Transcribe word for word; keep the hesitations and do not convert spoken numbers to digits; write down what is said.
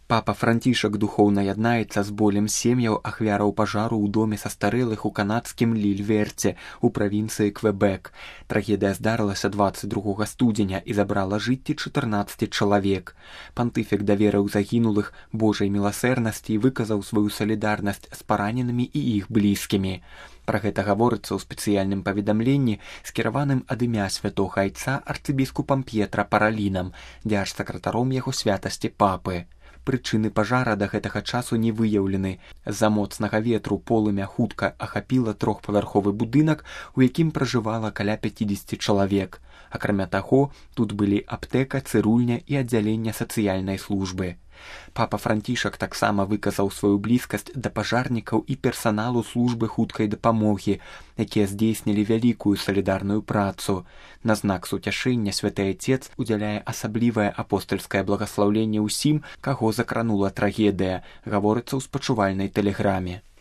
Папа Францішак духоўна яднаецца з болем сем'яў ахвяраў пажару ў доме састарэлых у канадскім Лільверце у правінцыі Квебек. Трагедыя здарылася дваццаць другога студзеня і забрала жыцці чатырнаццаці чалавек. Пантыфік даверыў загінулых Божай міласэрнасці і выказаў сваю салідарнасць з параненымі і іх блізкімі. Пра гэта гаворыцца ў спецыяльным паведамленні, скіраваным ад імя святога айца арцыбіскупам П'етра Паралінам, дзярж-сакратаром яго святасці папы. Прычыны пажара да гэтага часу не выяўлены. З-за моцнага ветру полымя хутка ахапіла трохпавярховы будынак, у якім пражывала каля пяцідзесяці чалавек. Акрамя таго, тут былі аптэка, цырульня і аддзяленне сацыяльнай службы. Папа Францішак таксама выказаў сваю блізкасць да пажарнікаў і персаналу службы хуткай дапамогі, якія здзейснілі вялікую салідарную працу. На знак суцяшэння святы айцец удзяляе асаблівае апостальскае благаслаўленне ўсім, каго закранула трагедыя, гаворыцца ў спачувальнай тэлеграме.